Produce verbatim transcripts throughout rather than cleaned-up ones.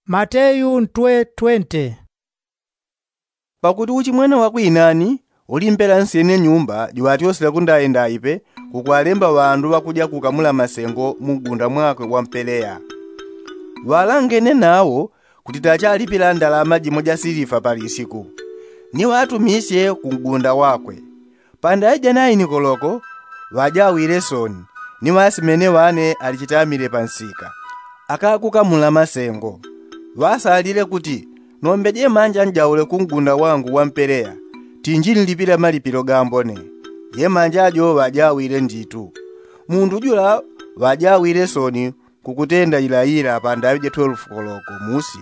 Mateyu ntwe twente. Pakuti uchimwene wa kwinani ulimbela nsyene nyumba juŵatyosela kundaindaipe, kukwalemba ŵandu ŵakuja kukamula masengo mu mgunda mwakwe wa mpeleya. Ŵalangene nawo kuti tachalipila ndalama jimo ja silifa pa lisiku, ni ŵatumisye ku mgunda wakwe. Pandaija naini koloko, ŵajawile soni, ni ŵasimene ŵane alichitamile pa nsika, akakukamula masengo. Ŵasalile kuti, nombe jemanja njaule ku mgunda wangu wa mpeleya, tinjinlipila malipilo gambone. Jemanja jo ŵajawile nditu. Mundu jula ŵajawile soni kukutenda ilaila pandaŵi ja twelve koloko musi,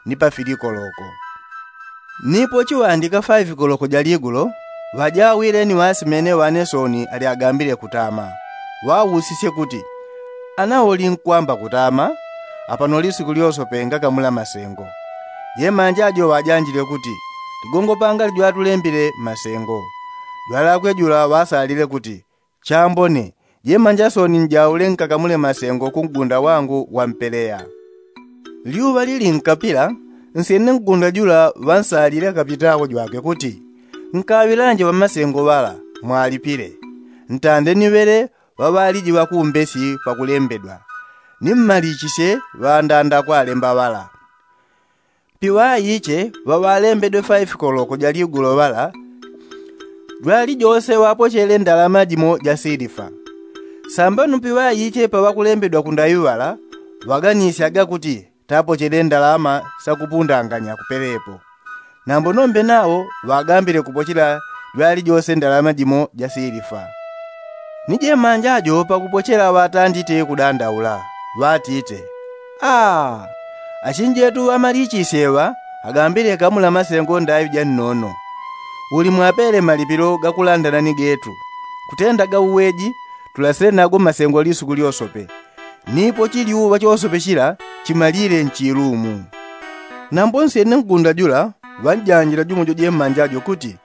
ni pa fili koloko. Nipo chiŵandika faifi koloko ja ligulo, ŵajawile ni ŵasimene ŵane soni ali agambile kutama. Ŵausisye kuti, ana ulinkwamba kutama? Apano lisiku lyosope ngakamula masengo. Jemanja jo ŵajanjile kuti, ligongo pangali jwatulembile masengo. Jwalakwe jula ŵasalile kuti, chambone, jemanja soni njaule nkakamule masengo ku mgunda wangu wa mpeleya. Lyuŵa lilinkapila, nsyene mgunda jula ŵansalile akapitako jwake kuti, nkaŵilanje ŵamasengo ŵala, mwalipile. Ntande ni ŵele ŵaŵaliji ŵakumbesi pakulembedwa, ni mmalichisye ŵandanda kwalemba ŵala. Piŵaiche ŵaŵalembedwe faifi koloko ja ligulo ŵala, jwalijose ŵapochele ndalama jimo ja silifa. Sambano piŵaiche paŵakulembedwa kundaŵi ŵala, ŵaganisyaga kuti tapochele ndalama sakupundanganya kupelepo. Nambo nombe nawo ŵagambile kupochela jwalijose ndalama jimo ja silifa. Ni jemanja jo pakupochela ŵatandite kudandaula, ŵatite, aa, achinjetu ŵamalichisye ŵa agambile kamula masengo ndaŵi ja nnono. Uli mwapele malipilo gakulandana ni getu, kutenda ga uweji, tulasile nago masengo lisuku lyosope. Nipo chiliuŵa chosope chila chimalile nchilumu. Nambo nsyene mgunda jula ŵanjanjila jumo jo jemanja jo kuti,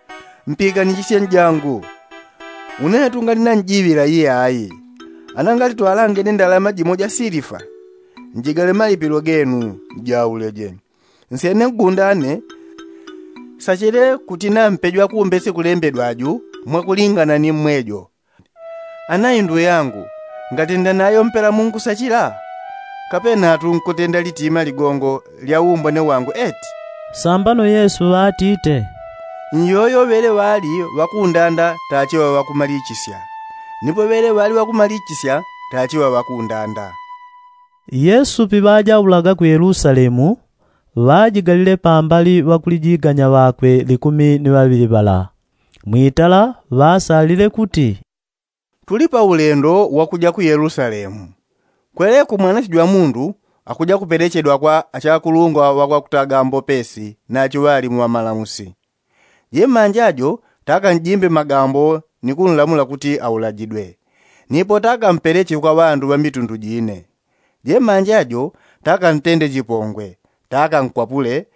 mpiganishisye njangu. Une tungali nanjiŵila iyayi. Ana ngali twalangene ndalama jimo ja silifa, njigale malipilo genu, njauleje. Nsyene mgunda ane sachele kuti nampe jwakumbesi kulembedwa ju mwakulingana ni mmwejo. Ana indu yangu, ngatenda nayo mpela munkusachila? Kapenatu nkutenda litima ligongo lya umbone wangu eti? Sambano Yesu ŵatite, nyoyo ŵele ŵali ŵakundanda tachiŵa ŵakumalichisya, nipo ŵele ŵali ŵakumalichisya tachiŵa ŵakundanda. Yesu piŵajaulaga ku Yelusalemu, ŵajigalile pambali ŵakulijiganya ŵakwe likumi ni ŵaŵili ŵala. Mwitala ŵasalile kuti, tuli pa ulendo wakuja ku Yelusalemu. Kweleko Mwanache jwa Mundu akuja kupelechedwa kwa achakulungwa ŵakwakutaga mbopesi na achiŵalimu ŵamalamusi. Jemanja jo takanjimbe magambo ni kunlamula kuti aulajidwe, nipo takampeleche kwa ŵandu ŵa mitundu jine. Jemanja jo takantende chipongwe, takankwapule,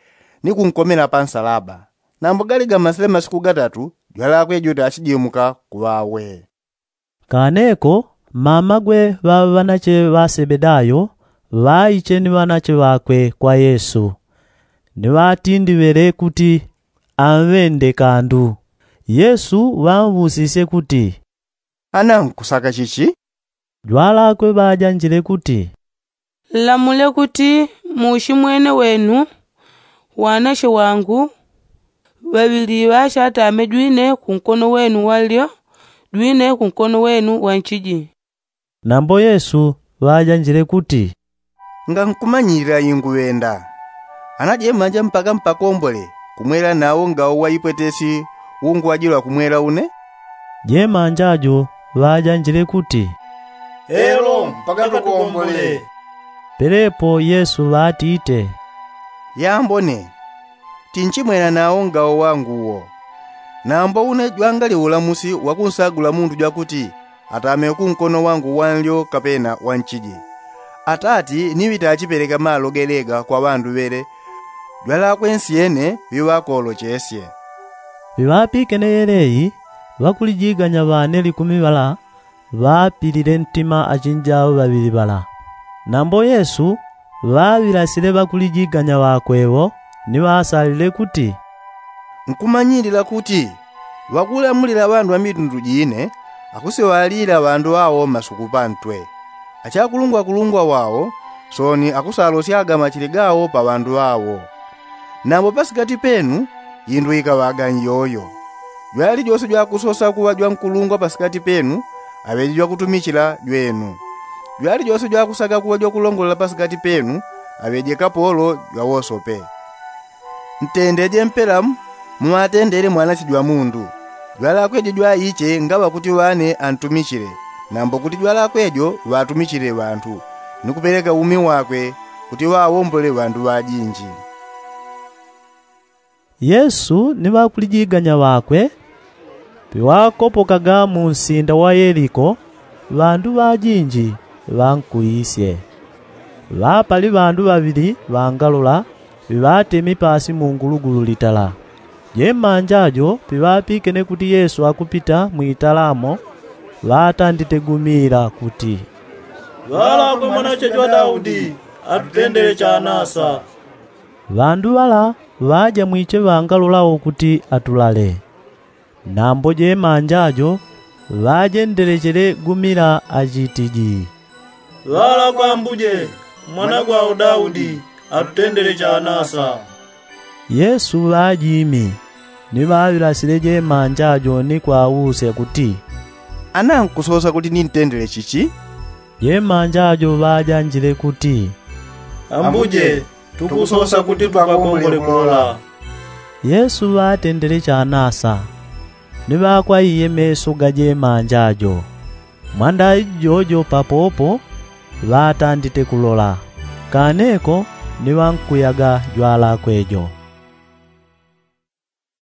ni kunkomela pa nsalaba. Nambo gali gamasile masiku gatatu, jwalakwe jo tachijimuka ku ŵawe. Kaneko mamagwe ŵa ŵanache ŵa Sebedayo ŵaiche ni ŵanache ŵakwe kwa Yesu, ni ŵatindiŵele kuti amŵende kandu. Yesu ŵamwusisye kuti, ana nkusaka chichi? Jwalakwe ŵajanjile kuti, nlamule kuti muushimwene wenu wanache wangu ŵaŵili ŵachatame jwine kunkono wenu wa nlyo, jwine kunkono wenu wa nchiji. Nambo Yesu ŵajanjile kuti, ngankumanyilila inguŵenda. Ana jemanja mpaka mpakombole kumwela nawo ngawo waipwetesi unguwajilwa kumwela une? Jemanja jo ŵajanjile kuti, elo mpaka tukombole. Pelepo Yesu ŵatite, yambone, tinchimwela nawo ngawo wangu uwo. Nambo une jwangali ulamusi wakunsagula mundu jwakuti atame kunkono wangu wa nlyo kapena wa nchiji. Atati ni ŵitachipeleka malo gelega kwa ŵandu ŵele, jwalakwe nsyene ŵiŵakolochesye. Piŵapikene yeleyi, ŵakulijiganya ŵane likumi ŵala ŵapilile ntima achinjao ŵaŵili ŵala. Nambo Yesu Ŵaŵilasile ŵakulijiganya ŵakwe ŵo ni ŵasalile kuti, nkumanyilila kuti ŵakulamulila ŵandu ŵa mitundu jine akusiŵalila ŵandu ŵawo masuku pantwe. Achakulungwakulungwa wawo soni akusalosyaga machili gawo pa ŵandu ŵawo. Nambo pasikati penu indu ikaŵaga nyoyo. Jwalijose jwakusosa kuŵa jwankulungwa pasikati penu aŵeje jwakutumichila jwenu. Jwalijose jwakusaka kuŵa jwakulongolela pasikati penu aŵeje kapolo jwawosope. Ntendeje mpelamu muŵatendele mwanache jwa mundu. Jwalakwejo jwaiche ngaŵa kuti ŵane antumichile, nambo kuti jwalakwejo ŵatumichile ŵantu ni kupeleka umi wakwe kuti ŵawombole ŵandu ŵajinji. Yesu ni ŵakulijiganya ŵakwe piŵakopokaga mu nsinda wa yeliko, ŵandu ŵajinji ŵankuisye. Ŵapali ŵandu ŵaŵili ŵangalola ŵiŵatemi pasi mu ngulugulu litala. Jemanja jo piŵapikene kuti yesu akupita mwitala mo, ŵatandite gumila kuti, ŵalakwe mwanache jwa daudi, atutendele chanasa. Ŵandu ŵala ŵaja mwiche ŵangalola ukuti atulale. Nambo jemanja jo ŵajendelechele gumila achitiji, ŵalakwe ambuje, mwana gwao daudi, atutendele chanasa. Yesu ŵajimi ni ŵaŵilasile jemanja jo ni kwausya kuti, ana nkusosa kuti nintendele chichi? Jemanja jo ŵajanjile kuti, ambuje, tukusosa kuti twakombole kulola. Yesu ŵatendele chanasa ni ŵakwaiye meso ga jemanja jo. Mwandai jojo papopo ŵatandite kulola, kaneko ni ŵankuyaga jwalakwe jo.